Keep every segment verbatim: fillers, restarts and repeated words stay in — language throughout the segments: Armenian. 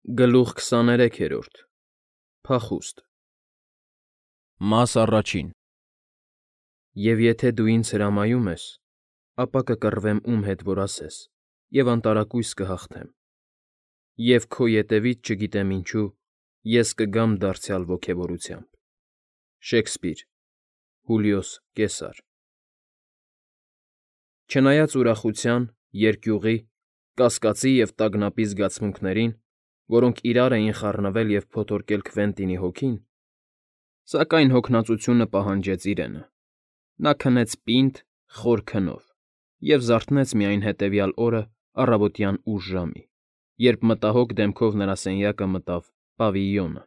Գլուխ քսաներեքերորդ Փախուստ Մաս առաջին Եվ եթե դու ինձ հրամայում ես, ապա կկռվեմ ում հետ որ ասես, և անտարակույս կհաղթեմ, և քո ետևից չգիտեմ ինչու ես կգամ դարձյալ ոգևորությամբ։ Շեքսպիր, Հուլիոս Կեսար։ Չնայած ուրախության, երկյուղի, կասկածի և տագնապի զգացմունքներին, որոնք իրար էին խառնվել և փոթորկել Քվենտինի հոգին, սակայն հոգնածությունը պահանջեց իրենը. նա քնեց պինդ, խոր քնով և զարթնեց միայն հետևյալ օրը առավոտյան ուշ ժամի, երբ մտահոգ դեմքով նրա սենյակը մտավ պավիլիոնը։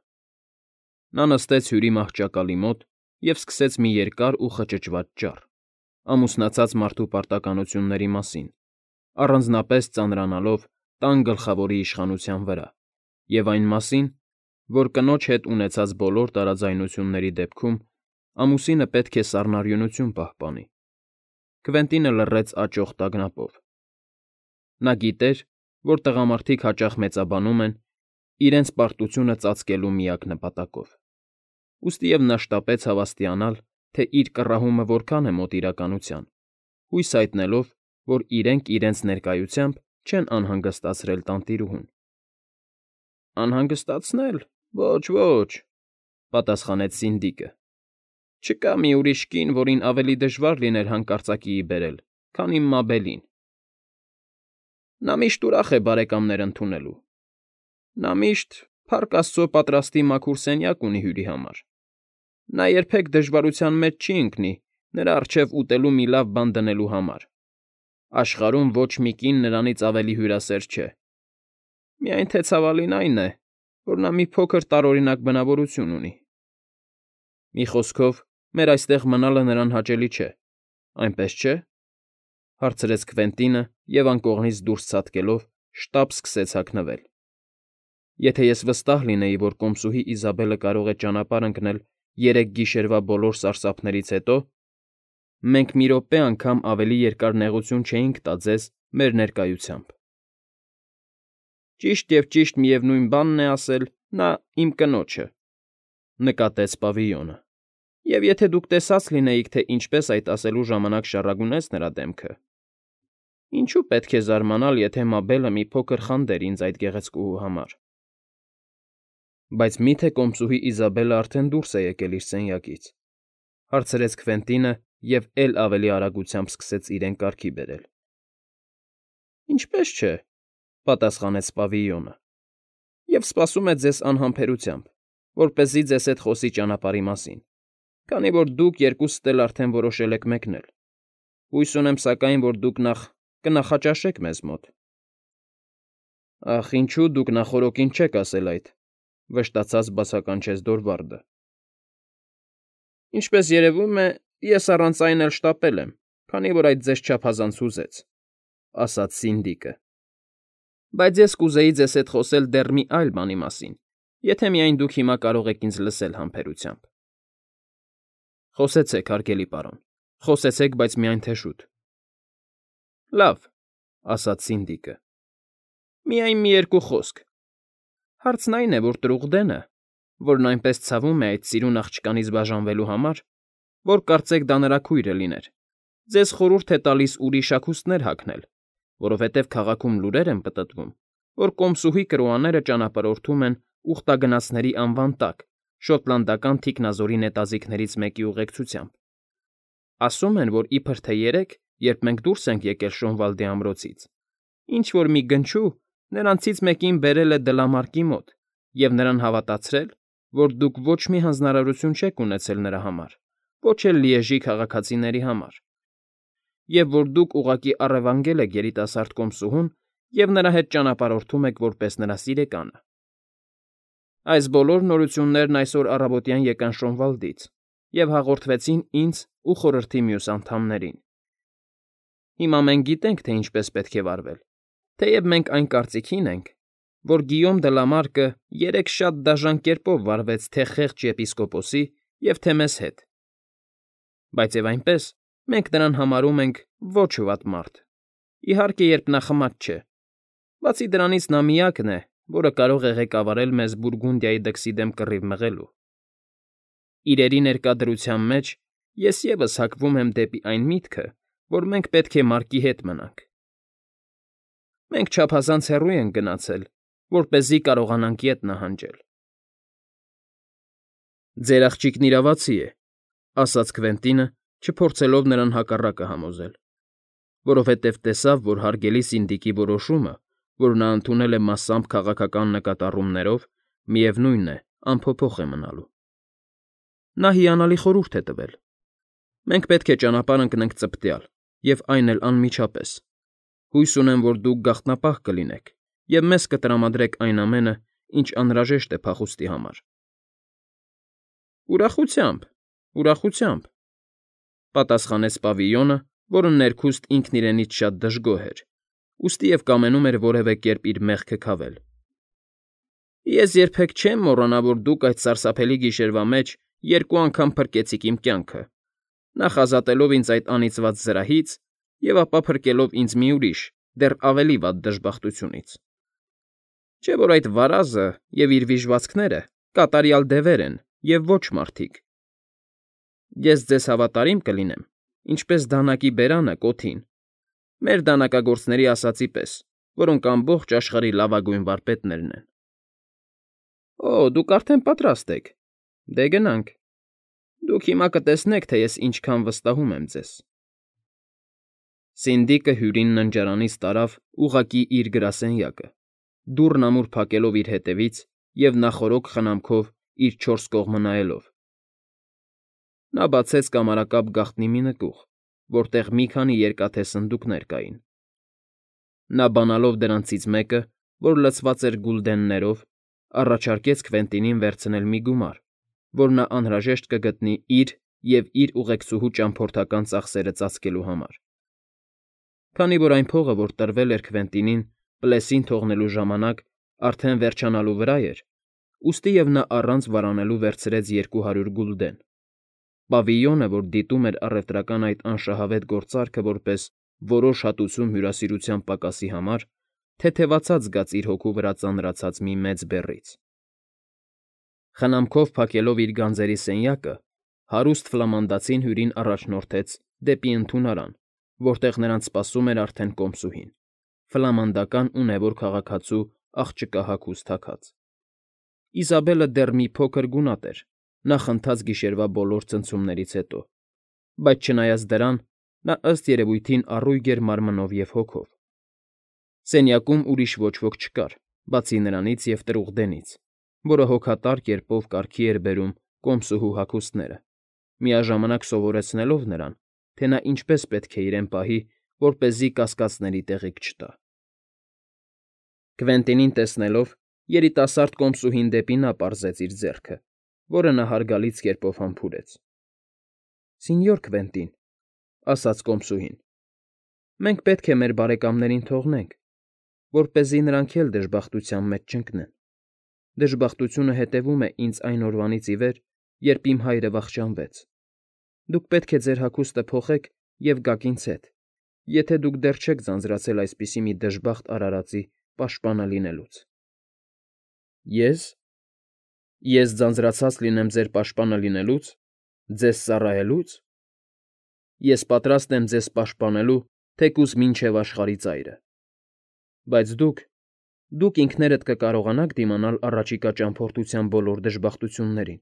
Նա նստեց հյուրի մահճակալի մոտ և սկսեց մի երկար ու խճճված ճառ, ամուսնացած մարդու պարտականությունների մասին, առանձնապես ծանրանալով տան գլխավորի իշխանության վրա, և այն մասին, որ կնոջ հետ ունեցած բոլոր տարաձայնությունների դեպքում ամուսինը պետք է սառնարյունություն պահպանի։ Քվենտինը լռեց աճող տագնապով։ Նա գիտեր, որ տղամարդիկ հաճախ մեծաբանում են իրենց պարտությունը ծածկելու միակ նպատակով, ուստիև նա շտապեց հավաստիանալ, թե իր կռահումը որքան է մոտ իրականության, հույս հայտնելով, որ իրենք իրենց ներկայությամբ չեն անհանգստացրել տանտիրուհուն։ «Անհանգստացնել՝ ոչ, ոչ,֊ պատասխանեց Սինդիկը։֊ Չկա մի ուրիշ կին, որին ավելի դժվար լիներ հանկարծակիի բերել, քան իմ մաբելին։ Նա միշտ ուրախ է բարեկամներ ընդունելու, նա միշտ, փառք աստծո, պատրաստի մաքուր սենյակ ունի հյուրի համար, նա երբեք դժվարության մեջ չի ընկնի նրա առջև ուտելու մի լավ բան դնելու համար, աշխարհում ոչ մի կին նրանից ավելի հյուրասեր չէ, միայն թե ցավալին այն է, որ նա մի փոքր տարօրինակ բնավորություն ունի։ Մի խոսքով, մեր այստեղ մնալը նրան հաճելի չէ, այնպես չէ՞, հարցրեց Քվենտինը և անկողնից դուրս ցատկելով շտապ սկսեց հագնվել։ Եթե ես վստահ լինեի, որ կոմսուհի Իզաբելը կարող է ճանապարհ ընկնել երեք գիշերվա բոլոր սարսափներից հետո, մենք մի րոպե անգամ ավելի երկար նեղություն չէինք տա ձեզ մեր ներկայությամբ։ Ճիշտ և ճիշտ միևնույն բանն է ասել նա իմ կնոջը,֊ նկատեց պավիլիոնը,֊ և եթե դուք տեսած լինեիք, թե ինչպես այդ ասելու ժամանակ շառագունեց նրա դեմքը, ինչո՞ւ պետք է զարմանալ, եթե մաբելը մի փոքր խանդեր ինձ այդ գեղեցկուհու համար։ Բայց մի՞թե կոմսուհի Իզաբելը արդեն դուրս է եկել իր սենյակից,֊ հարցրեց Քվենտինը և էլ ավելի արագությամբ սկսեց իրեն կարգի բերել։ Ինչպե՜ս չէ,֊ պատասխանեց պավիլիոնը,֊ և սպասում է ձեզ անհամբերությամբ, որպեսզի ձեզ հետ խոսի ճանապարհի մասին, քանի որ դուք երկուսդ էլ արդեն որոշել եք մեկնել։ Հույս ունեմ, սակայն, որ դուք նախ կնախաճաշեք մեզ մոտ։ Ախ, ինչո՞ւ դուք նախօրոքին չեք ասել այդ,֊ վշտացած բացականչեց Դորվարդը։ Ինչպես երևում է, ես առանց այն էլ շտապել եմ, քանի որ այդ ձեզ չափազանց հուզեց,֊ ասաց Սինդիկը։ Բայց ես կուզեի ձեզ հետ խոսել դեռ մի այլ բանի մասին, եթե միայն դուք հիմա կարող եք ինձ լսել համբերությամբ։ Խոսեցեք, հարգելի պարոն, խոսեցեք, բայց միայն թե շուտ։ Լավ,֊ ասաց Սինդիկը,֊ միայն մի երկու խոսք։ Հարցն այն է, որ Տրուղդենը, որն այնպես ցավում է այդ սիրուն աղջկանից բաժանվելու համար, որ կարծեք դա նրա քույրը լիներ, ձեզ խորհուրդ է տալիս ուրիշ հագուստներ հագնել, որովհետև քաղաքում լուրեր են պտտվում, որ կոմսուհի կրոաները ճանապարհորդում են ուխտագնացների անվան տակ շոտլանդական թիկնազորի նետաձիգներից մեկի ուղեկցությամբ։ Ասում են, որ իբր թե երեկ, երբ մենք դուրս ենք եկել Շոնվալդի ամրոցից, ինչ֊որ մի գնչու նրանցից մեկին բերել է դլամարկի մոտ և նրան հավատացրել, որ դուք ոչ մի հանձնարարություն չեք ունեցել նրա համար, ոչ էլ Լիեժի քաղաքացիների համար, և որ դուք ուղղակի առևանգել եք երիտասարդ կոմսուհուն և նրա հետ ճանապարհորդում եք որպես նրա սիրեկանը։ Այս բոլոր նորություններն այսօր առավոտյան եկան Շոնվալդից և հաղորդվեցին ինձ ու խորհրդի մյուս անդամներին։ Հիմա մենք գիտենք, թե ինչպես պետք է վարվել, թեև մենք այն կարծիքին ենք, որ Գիյոմ Դլամարկը երեկ շատ դաժան կերպով վարվեց թե՛ խեղճ եպիսկոպոսի և թե՛ մեզ հետ։ Բայց և այնպես, մենք նրան համարում ենք ոչ վատ մարդ, իհարկե, երբ նա խմած չէ։ Բացի դրանից նա միակն է, որը կարող է ղեկավարել մեզ Բուրգունդիայի դքսի դեմ կռիվ մղելու։ Իրերի ներկա դրության մեջ ես ևս հակվում եմ դեպի այն միտքը, որ մենք պետք է Մարկի հետ մնանք։ Մենք չափազանց հեռու ենք գնացել, որպեսզի կարողանանք ետ նահանջել։ Ձեր աղջիկն իրավացի է, ասաց Քվենտինը, չփորձելով նրան հակառակը համոզել, որովհետև տեսավ, որ հարգելի Սինդիկի որոշումը, որ նա ընդունել է մասամբ քաղաքական նկատառումներով, միևնույն է, անփոփոխ է մնալու։ Նա հիանալի խորհուրդ է տվել։ Մենք պետք է ճանապարհ ընկնենք ծպտյալ, և այն էլ անմիջապես։ Հույս ունեմ, որ դուք գաղտնապահ կլինեք և մեզ կտրամադրեք այն ամենը, ինչ անհրաժեշտ է փախուստի համար։ Ուրախությամբ, ուրախությամբ, պատասխանեց Պավիլյոնը, որը ներքուստ ինքն իրենից շատ դժգոհ էր, ուստի և կամենում էր որևէ կերպ իր մեղքը քավել։ Ես երբեք չեմ մոռանա, որ դուք այդ սարսափելի գիշերվա մեջ երկու անգամ փրկեցիք իմ կյանքը, նախ ազատելով ինձ այդ անիծված զրահից և ապա փրկելով ինձ մի ուրիշ, դեռ ավելի վատ դժբախտությունից։ Չէ՞ որ այդ վարազը և իր վիժվածքները կատարյալ դևեր են և ոչ մարդիկ։ Ես ձեզ հավատարիմ կլինեմ, ինչպես դանակի բերանը կոթին, մեր դանակագործների ասածի պես, որոնք ամբողջ աշխարհի լավագույն վարպետներն են։ Օ, դուք արդեն պատրաստ եք։ Դե գնանք։ Դուք հիմա կտեսնեք, թե ես ինչքան վստահում եմ ձեզ։ Սինդիկը Հյուրին ննջարանից տարավ ուղղակի իր գրասենյակը, դուռն ամուր փակելով իր հետևից և նախօրոք խնամքով իր չորս կողմը նայելով։ Նա բացեց կամարակապ գաղտնի մի նկուղ, որտեղ մի քանի երկաթե սնդուկներ կային։ Նա բանալով դրանցից մեկը, որ լցված էր գուլդեններով, առաջարկեց Քվենտինին վերցնել մի գումար, որ նա անհրաժեշտ կգտնի իր և իր ուղեկցուհու ճամփորդական ծախսերը ծածկելու համար։ Քանի որ այն փողը, որ տրվել էր Քվենտինին Պլեսին թողնելու ժամանակ, արդեն վերջանալու վրա էր, ուստի և նա առանց վարանելու վերցրեց երկու հարյուր գուլդեն։ Պավիլյոնը, որ դիտում էր առևտրական այդ անշահավետ գործարքը որպես որոշ հատուցում հյուրասիրության պակասի համար, թեթևացած զգաց իր հոգու վրա ծանրացած մի մեծ բեռից։ Խնամքով փակելով իր գանձերի սենյակը, հարուստ ֆլամանդացին Հյուրին առաջնորդեց դեպի ընդունարան, որտեղ նրանց սպասում էր արդեն կոմսուհին, ֆլամանդական ունևոր քաղաքացու աղջկա հագուստ հագած։ Իզաբելը դեռ մի փոքր գունատ էր, նախընթաց գիշերվա բոլոր ցնցումներից հետո, բայց չնայած դրան, նա ըստ երևույթին առույգ էր մարմնով և հոգով։ Սենյակում ուրիշ ոչ ոք չկար, բացի նրանից և տրուղդենից, որը հոգատար կերպով կարգի էր բերում կոմսուհու հագուստները, միաժամանակ սովորեցնելով նրան, թե նա ինչպես պետք է իրեն պահի, որպեսզի կասկածների տեղիք չտա։ Քվենտինին տեսնելով, երիտասարդ կոմսուհին դեպի նա պարզեց իր ձեռքը, որը նա հարգալից կերպով համբուրեց։ ֊ Սենյոր Քվենտին,֊ ասաց կոմսուհին,֊ մենք պետք է մեր բարեկամներին թողնենք, որպեսզի նրանք էլ դժբախտության մեջ չընկնեն։ Դժբախտությունը հետևում է ինձ այն օրվանից ի վեր, երբ իմ հայրը վախճանվեց։ Դուք պետք է ձեր հագուստը փոխեք և գաք ինձ հետ, եթե դուք դեռ չեք ձանձրացել այսպիսի մի դժբախտ արարածի պաշտպանը լինելուց։ ֊ Ե՞ս։ Ես ձանձրացած լինեմ ձեր պաշտպանը լինելուց, ձեզ ծառայելուց։ Ես պատրաստ եմ ձեզ պաշտպանելու թեկուզ մինչև աշխարհի ծայրը։ Բայց դուք, դուք ինքներդ կկարողանաք դիմանալ առաջիկա ճամփորդության բոլոր դժբախտություններին,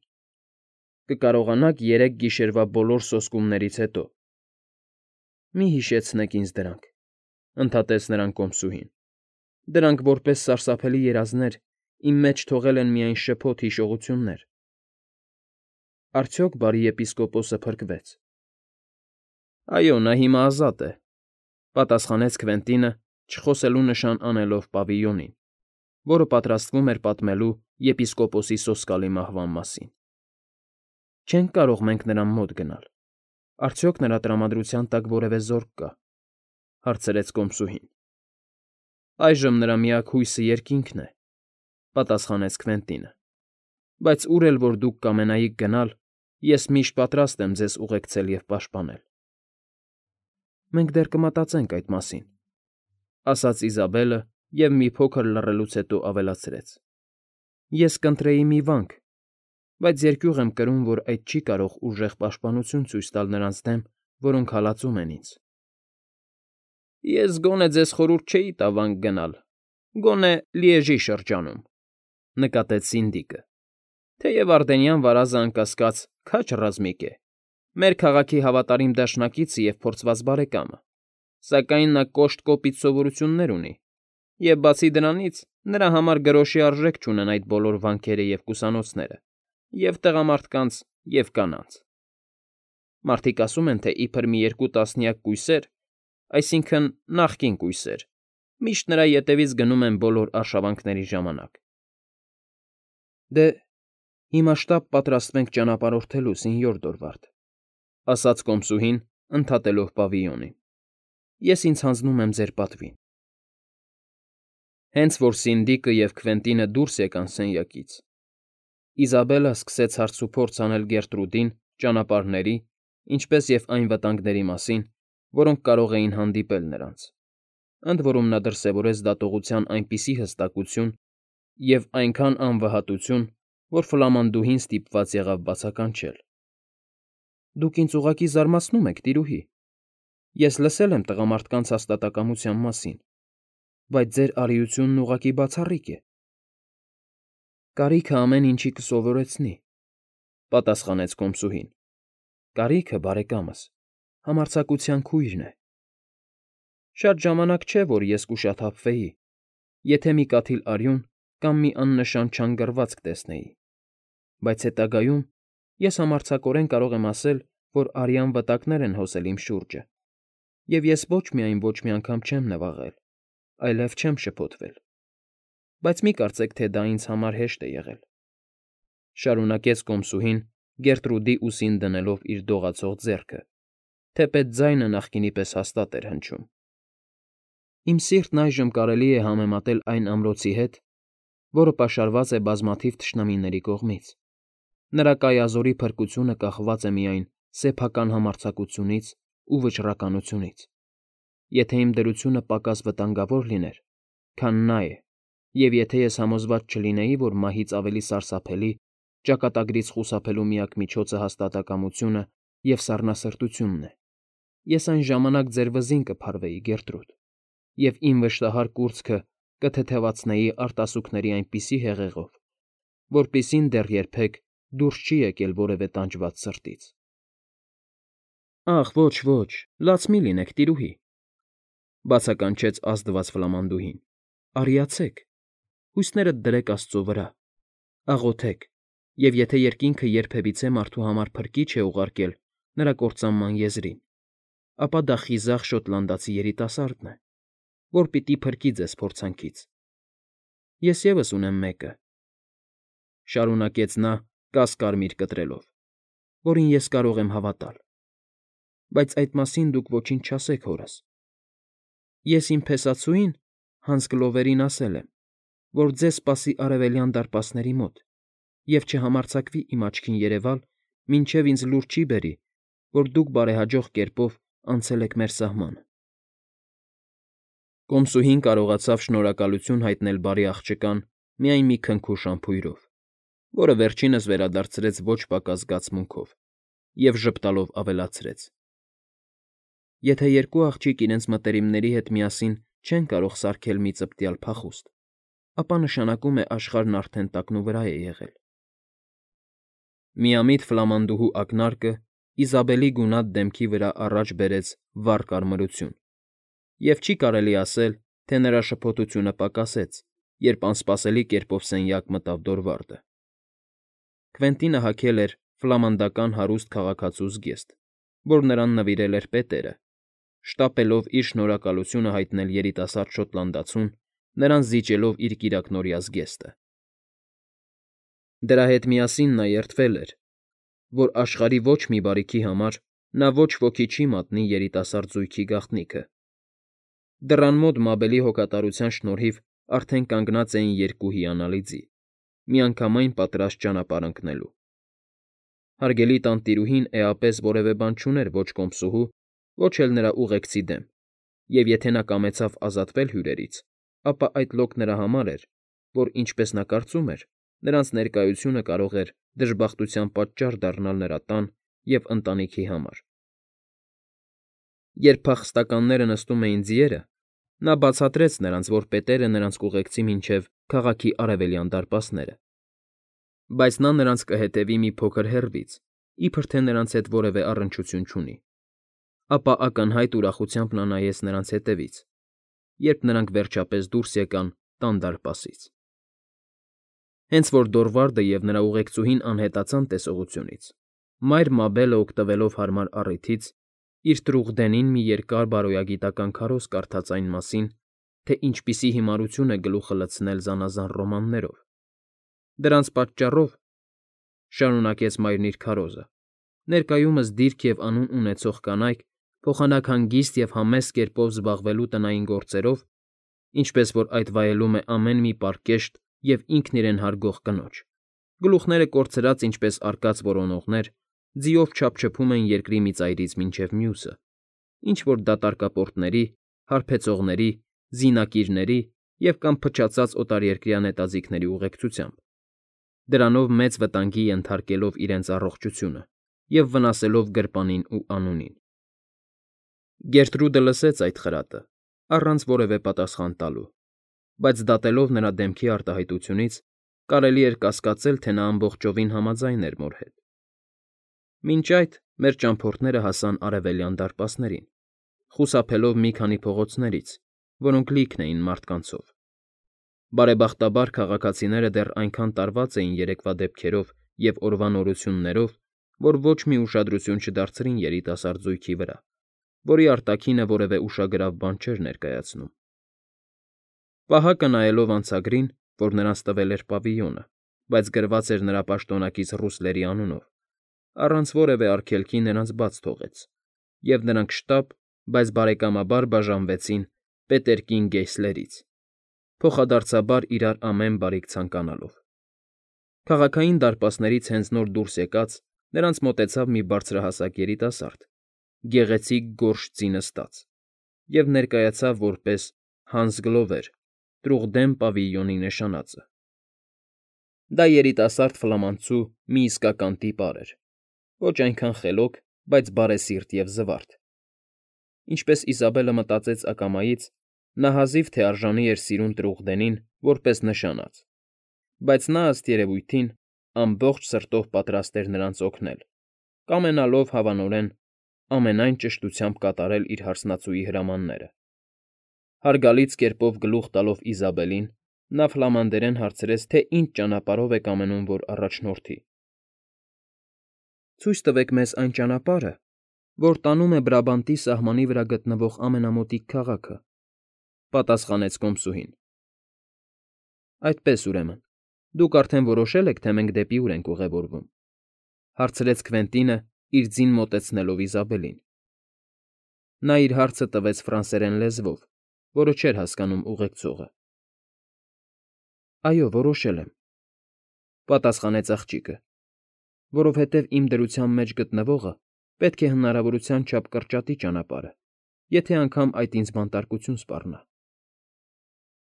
կկարողանաք երեք գիշերվա բոլոր սոսկումներից հետո։ ֊ Մի՛ հիշեցնեք ինձ դրանք,֊ ընդհատեց նրան կոմսուհին։ Դրանք որպես սարսափելի երազներ իմ մեջ թողել են միայն շփոթ հիշողություններ։ ֊ Արդյոք բարի եպիսկոպոսը փրկվեց։ ֊ Այո, նա հիմա ազատ է,֊ պատասխանեց Քվենտինը, չխոսելու նշան անելով Պավիլյոնին, որը պատրաստվում էր պատմելու եպիսկոպոսի սոսկալի մահվան մասին։ ֊ Չենք կարող մենք նրան մոտ գնալ։ Արդյոք նրա տրամադրության տակ որևէ զորք կա,֊ հարցրեց կոմսուհին։ ֊ Այժմ նրա միակ հույսը երկինքն է,֊ պատասխանեց Քվենտինը,֊ բայց ուր էլ որ դուք կամենայիք գնալ, ես միշտ պատրաստ եմ ձեզ ուղեկցել և պաշտպանել։ ֊ Մենք դեռ կմտածենք այդ մասին,֊ ասաց Իզաբելը, և մի փոքր լռելուց հետո ավելացրեց. Ես կընտրեի մի վանք, բայց երկյուղ եմ կրում, որ այդ չի կարող ուժեղ պաշտպանություն ցույց տալ նրանց դեմ, որոնք հալածում են ինձ։ Ես գոնե ձեզ խորհուրդ չէի տա վանք գնալ, գոնե Լիեժի շրջանում, նկատեց Սինդիկը, թեև Ардենյան վարազը անկասկած քաջ ռազմիկ է, մեր քաղաքի հավատարիմ դաշնակիցը և փորձված բարեկամը, սակայն նա կոշտ կոպիտ սովորություններ ունի, և բացի դրանից նրա համար գրոշի արժեք չունեն այդ բոլոր վանքերը և կուսանոցները, և տղամարդկանց, և կանանց։ Մարդիկ ասում են, թե իբր մի երկու տասնյակ կույսեր, այսինքն՝ նախկին կույսեր, միշտ նրա ետևից գնում են բոլոր արշավանքների ժամանակ։ Դե, հիմա շտապ պատրաստվենք ճանապարհորդելու, սենյոր Դորվարդ, ասաց կոմսուհին, ընդհատելով պավիոնին։ Ես ինձ հանձնում եմ ձեր պատվին։ Հենց որ Սինդիկը և Քվենտինը դուրս եկան սենյակից, Իզաբելլա սկսեց հարցուփորձ անել Գերտրուդին ճանապարհների, ինչպես և այն վտանգների մասին, որոնք կարող էին հանդիպել նրանց, ընդ որում նա դրսևորեց դատողության այնպիսի հստակություն և այնքան անվհատություն, որ Ֆլամանդուհին ստիպված եղավ բացականչել. Դուք ինձ ուղղակի զարմացնում եք, տիրուհի։ Ես լսել եմ տղամարդկանց հաստատակամության մասին, բայց ձեր արիությունն ուղղակի բացառիկ է։ Կարիքը ամեն ինչի կսովորեցնի, պատասխանեց կոմսուհին։ Կարիքը, բարեկամս, համարձակության քույրն է։ Շատ ժամանակ չէ, որ ես կուշաթափվեի, եթե մի կաթիլ արյուն կամ մի աննշան չանգռվածք տեսնեի, բայց հետագայում ես համարձակորեն կարող եմ ասել, որ արյան վտակներ են հոսել իմ շուրջը, և ես ոչ միայն ոչ մի անգամ չեմ նվաղել, այլև չեմ շփոթվել, բայց մի կարծեք, թե դա ինձ համար հեշտ է եղել,֊ շարունակեց կոմսուհին Գերտրուդի ուսին դնելով իր դողացող ձեռքը, թեպետ ձայնը նախկինի պես հաստատ էր հնչում։ Իմ սիրտն այժմ կարելի է համեմատել այն ամրոցի հետ, որը պաշարված է բազմաթիվ թշնամիների կողմից։ Նրա կայազորի փրկությունը կախված է միայն սեփական համարձակությունից ու վճռականությունից։ Եթե իմ դրությունը պակաս վտանգավոր լիներ, քան նա է, և եթե ես համոզված չլինեի, որ մահից ավելի սարսափելի, ճակատագրից խուսափելու միակ միջոցը հաստատակամությունը և սառնասրտությունն է, ես այն ժամանակ ձեր վզին կփարվեի, Գերտրուդ, և իմ վշտահար կուրծքը կթեթևացնեի արտասուքների այնպիսի հեղեղով, որպիսին դեռ երբեք դուրս չի եկել որևէ տանջված սրտից։ Ախ, ոչ, ոչ, լաց մի լինեք, տիրուհի,֊ բացականչեց ազդված Ֆլամանդուհին,֊ արիացեք, հույսներդ դրեք աստծո վրա, աղոթեք, և եթե երկինքը երբևիցե մարդու համար փրկիչ է ուղարկել նրա կործանման եզրին, ապա դա խիզախ շոտլանդացի երիտասարդն է, որ պիտի փրկի ձեզ փորձանքից։ Ես ևս ունեմ մեկը,֊ շարունակեց նա կաս֊կարմիր կտրելով,֊ որին ես կարող եմ հավատալ, բայց այդ մասին դուք ոչինչ չասեք հորս։ Ես իմ փեսացուին՝ Հանս Գլովերին ասել եմ, որ ձեզ սպասի Արևելյան դարպասների մոտ և չհամարձակվի իմ աչքին երևալ, մինչև ինձ լուր չի բերի, որ դուք բարեհաջող կերպով անցել եք մեր սահմանը։ Կոմսուհին կարողացավ շնորհակալություն հայտնել բարի աղջկան միայն մի քնքուշ համբույրով, որը վերջինս վերադարձրեց ոչ պակաս զգացմունքով և ժպտալով ավելացրեց. Եթե երկու աղջիկ իրենց մտերիմների հետ միասին չեն կարող սարքել մի ծպտյալ փախուստ, ապա նշանակում է աշխարհն արդեն տակնուվրա է եղել։ Միամիտ ֆլամանդուհու ակնարկը Իզաբելի գունատ դեմքի վրա առաջ բերեց վառ կարմրություն, և չի կարելի ասել, թե նրա շփոթությունը պակասեց, երբ անսպասելի կերպով սենյակ մտավ Դորվարդը։ Քվենտինը հագել էր ֆլամանդական հարուստ քաղաքացու զգեստ, որ նրան նվիրել էր պետերը, շտապելով իր շնորհակալությունը հայտնել երիտասարդ շոտլանդացուն, նրան զիջելով իր կիրակնօրյա զգեստը։ Դրա հետ միասին նա երդվել էր, որ աշխարհի ոչ մի բարիքի համար նա ոչ ոքի չի մատնի երիտասարդ զույգի գաղտնիքը։ Դռան մոտ մաբելի հոգատարության շնորհիվ արդեն կանգնած էին երկու հիանալի ձի, միանգամայն պատրաստ ճանապարհ ընկնելու։ Հարգելի տանտիրուհին էապես որևէ բան չուներ ոչ կոմսուհու, ոչ էլ նրա ուղեկցի դեմ, և եթե նա կամեցավ ազատվել հյուրերից, ապա այդ լոկ նրա համար էր, որ, ինչպես նա կարծում էր, նրանց ներկայությունը կարող էր դժբախտության պատճառ դառնալ նրա տան և ընտանիքի համար։ Երբ փախստականները նստում էին ձիերը, նա բացատրեց նրանց, որ պետերը նրանց կուղեկցի մինչև քաղաքի արևելյան դարպասները, բայց նա նրանց կհետևի մի փոքր հեռվից, իբր թե նրանց հետ որևէ առնչություն չունի, ապա ակնհայտ ուրախությամբ նա նայեց նրանց ետևից, երբ նրանք վերջապես դուրս եկան տան դարպասից։ Հենց որ Դորվարդը և նրա ուղեկցուհին անհետացան տեսողությունից, մայր Մաբելը, օգտվելով հարմար առիթից, իր трուղդենին մի երկար բարոյագիտական քարոզ կարդաց այն մասին, թե ինչպիսի հիմարություն է գլուխը լցնել զանազան ռոմաններով։ Դրանց պատճառով, շարունակեց մայրն իր քարոզը, ներկայումս դիրք և անուն ունեցող կանայք փոխանակ հանգիստ և համեստ կերպով զբաղվելու տնային գործերով, ինչպես որ այդ վայելում է ամեն մի պարկեշտ և ինքն իրեն հարգող կնոջ, գլուխները կորցրած ինչպես արկած որոնողներ, ձիով չափչփում են երկրի մի ծայրից մինչև մյուսը, ինչ֊որ դատարկապորտների, հարբեցողների, զինակիրների և կամ փչացած օտարերկրյա նետաձիգների ուղեկցությամբ, դրանով մեծ վտանգի ենթարկելով իրենց առողջությունը և վնասելով գրպանին ու անունին։ Գերտրուդը լսեց այդ խրատը, առանց որևէ պատասխան տալու, բայց դատելով նրա դեմքի արտահայտությունից, կարելի էր կասկածել, թե նա ամբողջովին համաձայն էր մոր հետ։ Մինչ այդ մեր ճամփորդները հասան արևելյան դարպասներին, խուսափելով մի քանի փողոցներից, որոնք լիքն էին մարդկանցով։ Բարեբախտաբար քաղաքացիները դեռ այնքան տարված էին երեկվա դեպքերով և օրվա նորություններով, որ ոչ մի ուշադրություն չդարձրին երիտասարդ զույգի վրա, որի արտաքինը որևէ ուշագրավ բան չէր ներկայացնում։ Պահակը նայելով անցագրին, որ նրանց տվել էր պավիլյոնը, բայց գրված էր նրա պաշտոնակից ռուսլերի անունով, առանց որևէ արգելքի նրանց բաց թողեց, և նրանք շտապ, բայց բարեկամաբար բաժանվեցին Պետերկին֊Գեյսլերից, փոխադարձաբար իրար ամեն բարիք ցանկանալով։ Քաղաքային դարպասներից հենց նոր դուրս եկած նրանց մոտեցավ մի բարձրահասակ երիտասարդ, գեղեցիկ գորշ ձի նստած, և ներկայացավ որպես Հանս Գլովեր, Տրուղդեն պավիլիոնի նշանածը։ Դա երիտասարդ ֆլամանցու մի իսկական տիպար էր, ոչ այնքան խելոք, բայց բարեսիրտ և զվարթ։ Ինչպես Իզաբելը մտածեց ակամայից, նա հազիվ թե արժանի էր սիրուն Տրուղդենին որպես նշանած, բայց նա, ըստ երևույթին, ամբողջ սրտով պատրաստ էր նրանց օգնել, կամենալով, հավանորեն, ամենայն ճշտությամբ կատարել իր հարսնացուի հրամանները։ Հարգալից կերպով գլուխ տալով Իզաբելին, նա ֆլամանդերեն հարցրեց, թե ինչ ճանապարհով եք ամենում, որ առաջնորդի։ Ցույց տվեք մեզ այն ճանապարհը, որ տանում է Բրաբանտի սահմանի վրա գտնվող ամենամոտիկ քաղաքը,֊ պատասխանեց կոմսուհին։ ֊ Այդպես, ուրեմն, դուք արդեն որոշել եք, թե մենք դեպի ուր ենք ուղևորվում,֊ հարցրեց Քվենտինը, իր ձին մոտեցնելով Իզաբելին։ Նա իր հարցը տվեց ֆրանսերեն լեզվով, որը չէր հասկանում ուղեկցողը։ ֊ Այո, որոշել եմ,֊ պատասխանեց աղջիկը,֊ որովհետև իմ դրության մեջ գտնվողը պետք է հնարավորության չափ կրճատի ճանապարհը, եթե անգամ այդ ինձ բանտարկություն սպառնա։ ֊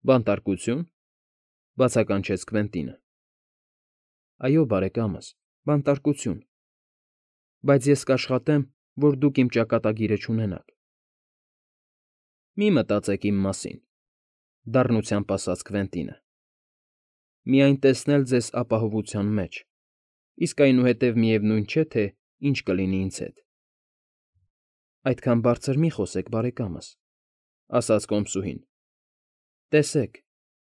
Բանտարկությո՞ւն,֊ բացականչեց Քվենտինը։ ֊ Այո, բարեկամս, բանտարկություն, բայց ես կաշխատեմ, որ դուք իմ ճակատագիրը չունենաք։ ֊ Մի մտածեք իմ մասին,֊ դառնությամբ ասաց Քվենտինը,֊ միայն տեսնել ձեզ ապահովության մեջ, իսկ այնուհետև միևնույն չէ, թե ինչ կլինի ինձ հետ։ ֊ Այդքան բարձր մի խոսեք, բարեկամս,֊ ասաց կոմսուհին։ ֊ Տեսեք,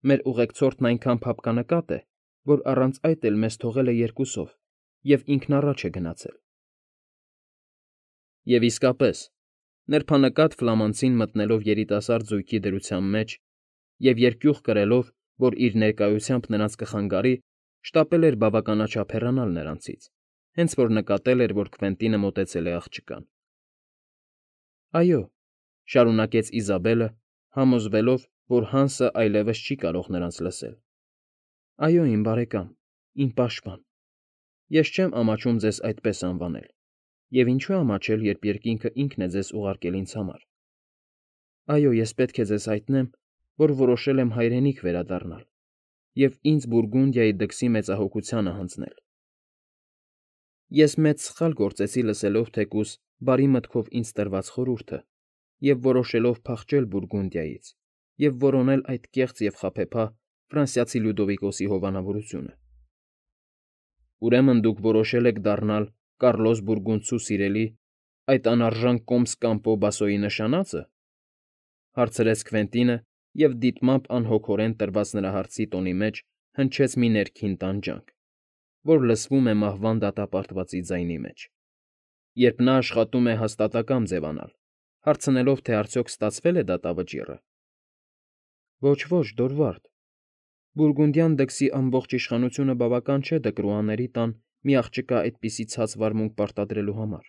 մեր ուղեկցորդն այնքան փափկանակատ է, որ առանց այդ էլ մեզ թողել է երկուսով և ինքն առաջ է գնացել։ Եվ իսկապես, նրբանկատ ֆլամանցին մտնելով երիտասարդ զույգի դրության մեջ և երկյուղ կրելով, որ իր ներկայությամբ նրանց կխանգարի, շտապել էր բավականաչափ հեռանալ նրանցից, հենց որ նկատել էր, որ Քվենտինը մոտեցել է աղջկան։ ֊ Այո,֊ շարունակեց Իզաբելը, համոզվելով, որ Հանսը այլևս չի կարող նրանց լսել,֊ այո, իմ բարեկամ, իմ պաշտպան, ես չեմ ամաչում ձեզ այդպես անվանել, և ինչու ամաչել, երբ երկինքը ինքն է ձեզ ուղարկել ինձ համար։ Այո, ես պետք է ձեզ հայտնեմ, որ որոշել եմ հայրենիք վերադառնալ և ինձ Բուրգունդիայի դքսի մեծահոգությանը հանձնել։ Ես մեծ սխալ գործեցի լսելով թեկուզ բարի մտքով ինձ տրված խորհուրդը և որոշելով փախչել Բուրգունդիայից և որոնել այդ կեղծ և խաբեբա ֆրանսիացի Լյուդովիկոսի հովանավորությունը։ Ուրեմն դուք որոշել եք դառնալ Կառլոս Բուրգունդցու սիրելի, այդ անարժան կոմս Կամպո Բասոյի նշանա՞ծը,֊ հարցրեց Քվենտինը, և դիտմամբ անհոգորեն տրված նրա հարցի տոնի մեջ հնչեց մի ներքին տանջանք, որ լսվում է մահվան դատապարտվածի ձայնի մեջ, երբ նա աշխատում է հաստատակամ ձևանալ, հարցնելով, թե արդյոք ստացվե՞լ է դատավճիռը։ ֊ Ոչ, ոչ, Դորվարդ, բուրգունդյան դքսի ամբողջ իշխանությունը բավական չէ Դկրուաների տան մի աղջկա այդպիսի ցած վարմունք պարտադրելու համար,֊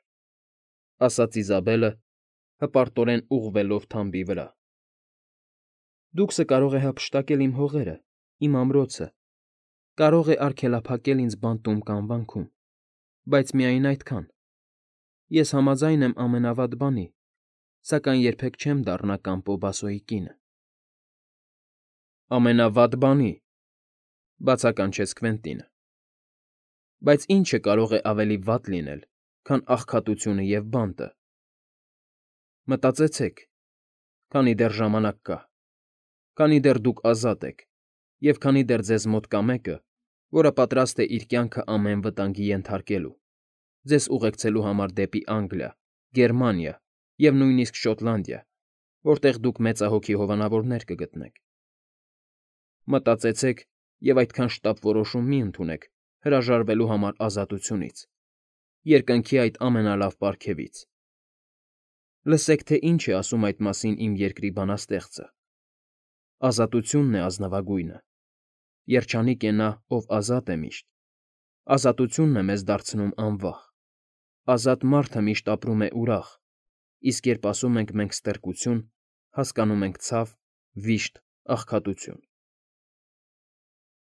ասաց Իզաբելը, հպարտորեն ուղղվելով թամբի վրա։ Դուքսը կարող է հափշտակել իմ հողերը, իմ ամրոցը, կարող է արգելափակել ինձ բանտում կամ վանքում, բայց միայն այդքան։ Ես համաձայն եմ ամենավատ բանի, սակայն երբեք չեմ դառնա Կամպո Բասոյի կինը։ ֊ Ամենավատ բանի,֊ բացականչեց Քվենտինը,֊ բայց ի՞նչը կարող է ավելի վատ լինել, քան աղքատությունը և բանտը։ Մտածեցեք, քանի դեռ ժամանակ կա, քանի դեռ դուք ազատ եք և քանի դեռ ձեզ մոտ կա մեկը, որը պատրաստ է իր կյանքը ամեն վտանգի ենթարկելու, ձեզ ուղեկցելու համար դեպի Անգլիա, Գերմանիա և նույնիսկ Շոտլանդիա, որտեղ դուք մեծահոգի հովանավորներ կգտնեք։ Մտածեցեք և այդքան շտապ որոշում մի ընդունեք հրաժարվելու համար ազատությունից, երկնքի այդ ամենալավ պարգևից։ Լսեք, թե ինչ է ասում այդ մասին իմ երկրի բանաստեղծը. «Ազատությունն է ազնվագույնը, երջանիկ է նա, ով ազատ է միշտ, ազատությունն է մեզ դարձնում անվախ, ազատ մարդը միշտ ապրում է ուրախ, իսկ երբ ասում ենք մենք «ստրկություն», հասկանում ենք ցավ, վիշտ, աղքատություն»։